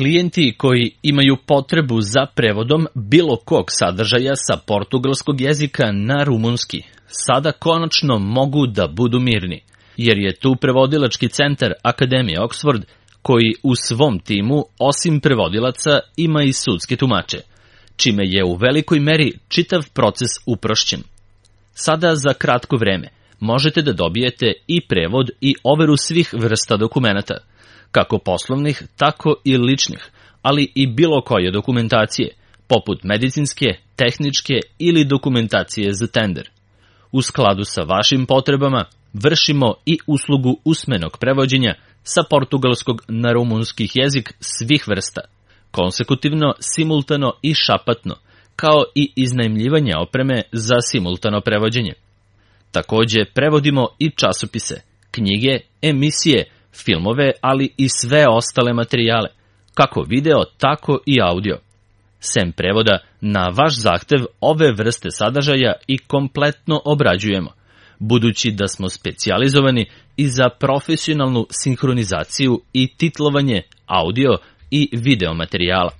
Klijenti koji imaju potrebu za prevodom bilo kog sadržaja sa portugalskog jezika na rumunski sada konačno mogu da budu mirni, jer je tu prevodilački centar Akademije Oxford koji u svom timu, osim prevodilaca, ima i sudske tumače, čime je u velikoj meri čitav proces uprošćen. Sada za kratko vreme možete da dobijete i prevod i overu svih vrsta dokumenata, kako poslovnih, tako i ličnih, ali i bilo koje dokumentacije, poput medicinske, tehničke ili dokumentacije za tender. U skladu sa vašim potrebama vršimo i uslugu usmenog prevođenja sa portugalskog na rumunski jezik svih vrsta, konsekutivno, simultano i šapatno, kao i iznajmljivanje opreme za simultano prevođenje. Takođe, prevodimo i časopise, knjige, emisije, filmove, ali i sve ostale materijale, kako video, tako i audio. Sem prevoda, na vaš zahtev ove vrste sadržaja i kompletno obrađujemo, budući da smo specijalizovani i za profesionalnu sinhronizaciju i titlovanje audio i video materijala.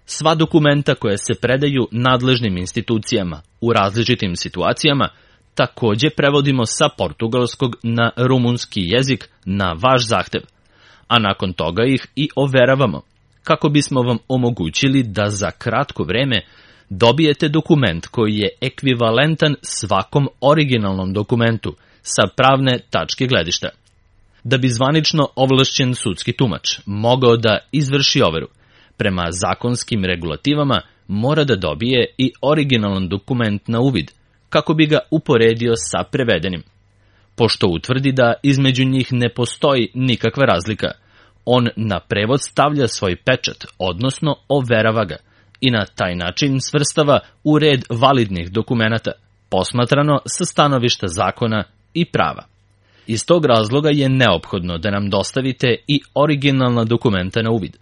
Sva dokumenta koja se predaju nadležnim institucijama u različitim situacijama takođe prevodimo sa portugalskog na rumunski jezik na vaš zahtev, a nakon toga ih i overavamo, kako bismo vam omogućili da za kratko vreme dobijete dokument koji je ekvivalentan svakom originalnom dokumentu sa pravne tačke gledišta. Da bi zvanično ovlašćen sudski tumač mogao da izvrši overu, prema zakonskim regulativama mora da dobije i originalan dokument na uvid, kako bi ga uporedio sa prevedenim. Pošto utvrdi da između njih ne postoji nikakva razlika, on na prevod stavlja svoj pečat, odnosno overava ga, i na taj način svrstava u red validnih dokumenata, posmatrano sa stanovišta zakona i prava. Iz tog razloga je neophodno da nam dostavite i originalna dokumenta na uvid.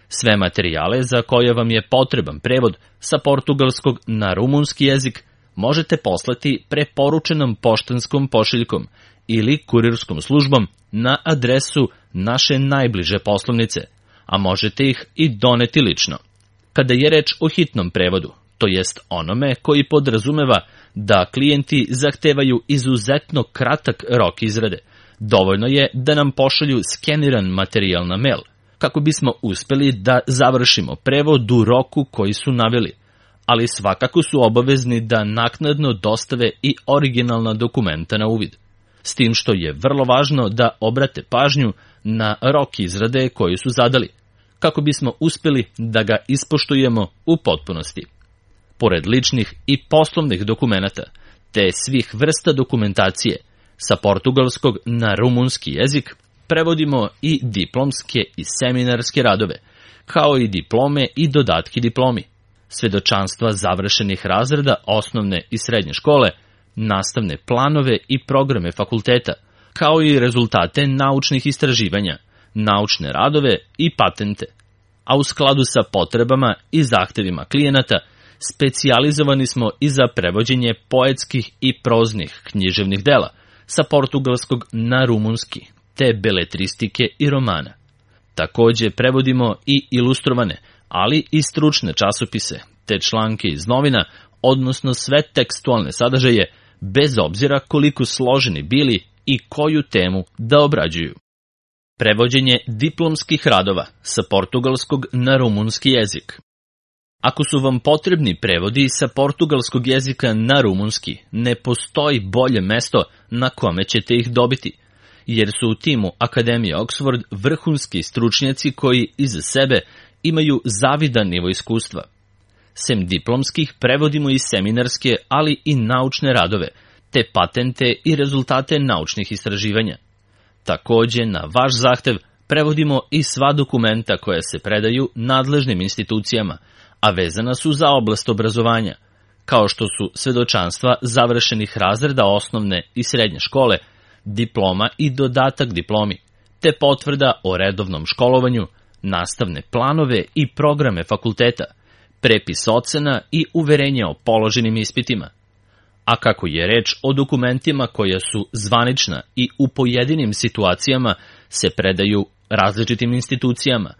Sve materijale za koje vam je potreban prevod sa portugalskog na rumunski jezik možete poslati preporučenom poštanskom pošiljkom ili kurirskom službom na adresu naše najbliže poslovnice, a možete ih i doneti lično. Kada je reč o hitnom prevodu, to jest onome koji podrazumeva da klijenti zahtevaju izuzetno kratak rok izrade, dovoljno je da nam pošalju skeniran materijal na mail, kako bismo uspeli da završimo prevod u roku koji su naveli, ali svakako su obavezni da naknadno dostave i originalna dokumenta na uvid. S tim što je vrlo važno da obrate pažnju na rok izrade koji su zadali, kako bismo uspeli da ga ispoštujemo u potpunosti. Pored ličnih i poslovnih dokumenata, te svih vrsta dokumentacije, sa portugalskog na rumunski jezik prevodimo i diplomske i seminarske radove, kao i diplome i dodatki diplomi, svedočanstva završenih razreda osnovne i srednje škole, nastavne planove i programe fakulteta, kao i rezultate naučnih istraživanja, naučne radove i patente. A u skladu sa potrebama i zahtevima klijenata, specijalizovani smo i za prevođenje poetskih i proznih književnih dela sa portugalskog na rumunski, te beletristike i romana. Takođe prevodimo i ilustrovane, ali i stručne časopise, te članke iz novina, odnosno sve tekstualne sadržaje, bez obzira koliko složeni bili i koju temu da obrađuju. Prevođenje diplomskih radova sa portugalskog na rumunski jezik. Ako su vam potrebni prevodi sa portugalskog jezika na rumunski, ne postoji bolje mesto na kome ćete ih dobiti, jer su u timu Akademije Oxford vrhunski stručnjaci koji iza sebe imaju zavidan nivo iskustva. Sem diplomskih prevodimo i seminarske, ali i naučne radove, te patente i rezultate naučnih istraživanja. Takođe, na vaš zahtev prevodimo i sva dokumenta koja se predaju nadležnim institucijama, a vezana su za oblast obrazovanja, kao što su svedočanstva završenih razreda osnovne i srednje škole, diploma i dodatak diplomi, te potvrda o redovnom školovanju, nastavne planove i programe fakulteta, prepis ocena i uverenje o položenim ispitima. A kako je reč o dokumentima koja su zvanična i u pojedinim situacijama se predaju različitim institucijama,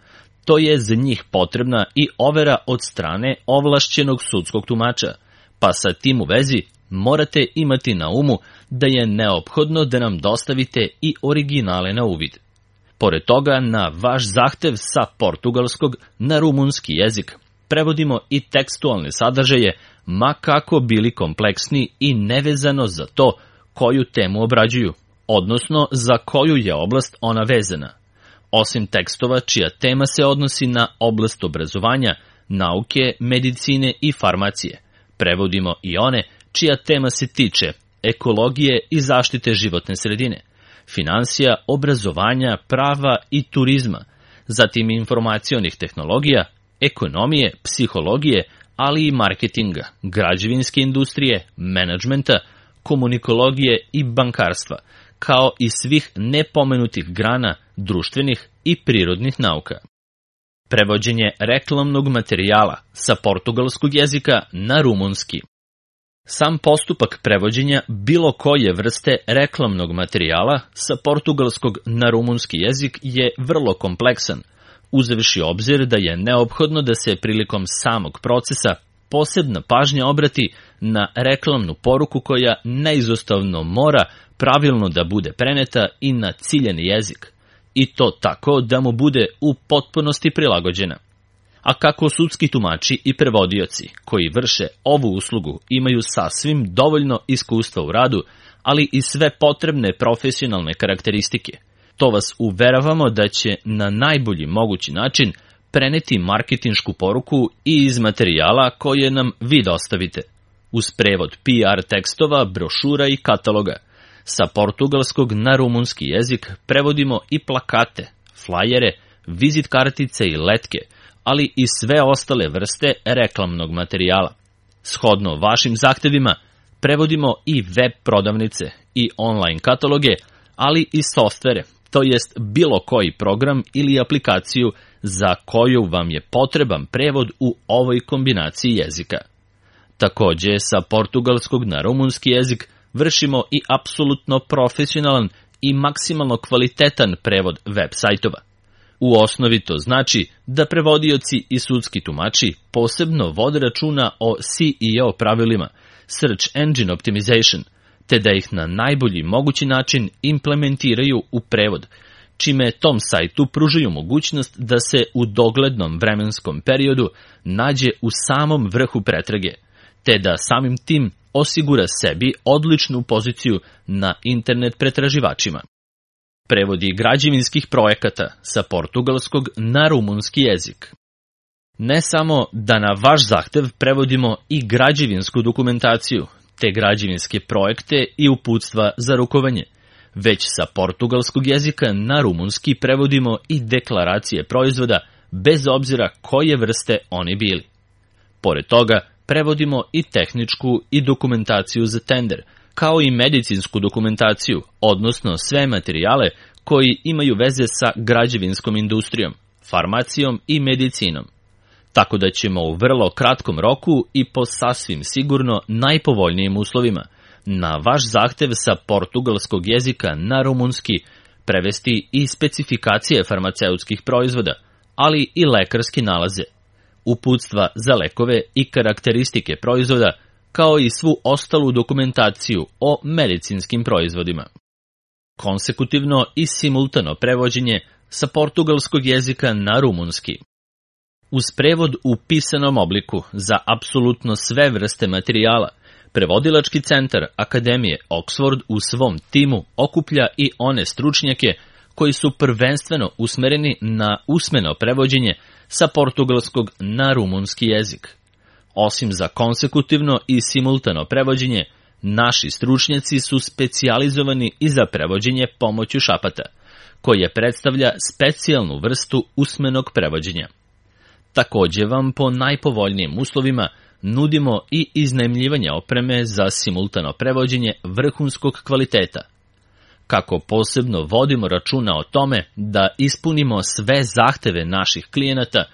to je za njih potrebna i overa od strane ovlašćenog sudskog tumača, pa sa tim u vezi morate imati na umu da je neophodno da nam dostavite i originale na uvid. Pored toga, na vaš zahtev sa portugalskog na rumunski jezik prevodimo i tekstualne sadržaje, ma kako bili kompleksni i nevezano za to koju temu obrađuju, odnosno za koju je oblast ona vezana. Osim tekstova čija tema se odnosi na oblast obrazovanja, nauke, medicine i farmacije, prevodimo i one čija tema se tiče ekologije i zaštite životne sredine, finansija, obrazovanja, prava i turizma, zatim informacionih tehnologija, ekonomije, psihologije, ali i marketinga, građevinske industrije, menadžmenta, komunikologije i bankarstva, kao i svih nepomenutih grana društvenih i prirodnih nauka. Prevođenje reklamnog materijala sa portugalskog jezika na rumunski. Sam postupak prevođenja bilo koje vrste reklamnog materijala sa portugalskog na rumunski jezik je vrlo kompleksan, uzevši obzir da je neophodno da se prilikom samog procesa posebna pažnja obrati na reklamnu poruku koja neizostavno mora pravilno da bude preneta i na ciljani jezik, i to tako da mu bude u potpunosti prilagođena. A kako sudski tumači i prevodioci koji vrše ovu uslugu imaju sasvim dovoljno iskustva u radu, ali i sve potrebne profesionalne karakteristike, to vas uveravamo da će na najbolji mogući način preneti marketinšku poruku i iz materijala koje nam vi dostavite, uz prevod PR tekstova, brošura i kataloga. Sa portugalskog na rumunski jezik prevodimo i plakate, flajere, vizit kartice i letke, ali i sve ostale vrste reklamnog materijala. Shodno vašim zahtevima, prevodimo i web prodavnice i online kataloge, ali i softvere, to jest bilo koji program ili aplikaciju za koju vam je potreban prevod u ovoj kombinaciji jezika. Takođe, sa portugalskog na rumunski jezik vršimo i apsolutno profesionalan i maksimalno kvalitetan prevod web sajtova. U osnovi to znači da prevodioci i sudski tumači posebno vode računa o SEO pravilima, Search Engine Optimization, te da ih na najbolji mogući način implementiraju u prevod, čime tom sajtu pružaju mogućnost da se u doglednom vremenskom periodu nađe u samom vrhu pretrage, te da samim tim osigura sebi odličnu poziciju na internet pretraživačima. Prevodi građevinskih projekata sa portugalskog na rumunski jezik. Ne samo da na vaš zahtev prevodimo i građevinsku dokumentaciju, te građevinske projekte i uputstva za rukovanje, već sa portugalskog jezika na rumunski prevodimo i deklaracije proizvoda bez obzira koje vrste oni bili. Pored toga, prevodimo i tehničku i dokumentaciju za tender, kao i medicinsku dokumentaciju, odnosno sve materijale koji imaju veze sa građevinskom industrijom, farmacijom i medicinom. Tako da ćemo u vrlo kratkom roku i po sasvim sigurno najpovoljnijim uslovima na vaš zahtev sa portugalskog jezika na rumunski prevesti i specifikacije farmaceutskih proizvoda, ali i lekarski nalaze, uputstva za lekove i karakteristike proizvoda, kao i svu ostalu dokumentaciju o medicinskim proizvodima. Konsekutivno i simultano prevođenje sa portugalskog jezika na rumunski. Uz prevod u pisanom obliku za apsolutno sve vrste materijala, prevodilački centar Akademije Oxford u svom timu okuplja i one stručnjake koji su prvenstveno usmereni na usmeno prevođenje sa portugalskog na rumunski jezik. Osim za konsekutivno i simultano prevođenje, naši stručnjaci su specijalizovani i za prevođenje pomoću šapata, koje predstavlja specijalnu vrstu usmenog prevođenja. Takođe vam po najpovoljnijim uslovima nudimo i iznajmljivanje opreme za simultano prevođenje vrhunskog kvaliteta. Kako posebno vodimo računa o tome da ispunimo sve zahteve naših klijenata,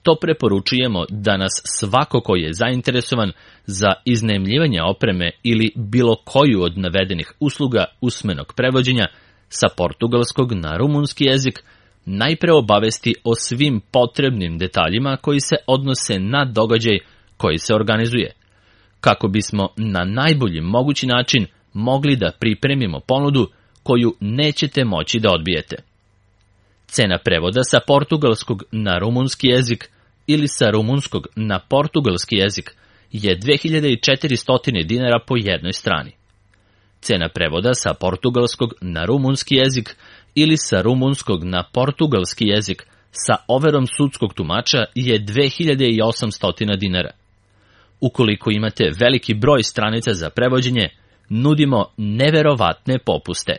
to preporučujemo da nas svako ko je zainteresovan za iznajmljivanje opreme ili bilo koju od navedenih usluga usmenog prevođenja sa portugalskog na rumunski jezik najpre obavesti o svim potrebnim detaljima koji se odnose na događaj koji se organizuje, kako bismo na najbolji mogući način mogli da pripremimo ponudu koju nećete moći da odbijete. Cena prevoda sa portugalskog na rumunski jezik ili sa rumunskog na portugalski jezik je 2400 dinara po jednoj strani. Cena prevoda sa portugalskog na rumunski jezik ili sa rumunskog na portugalski jezik sa overom sudskog tumača je 2800 dinara. Ukoliko imate veliki broj stranica za prevođenje, nudimo neverovatne popuste.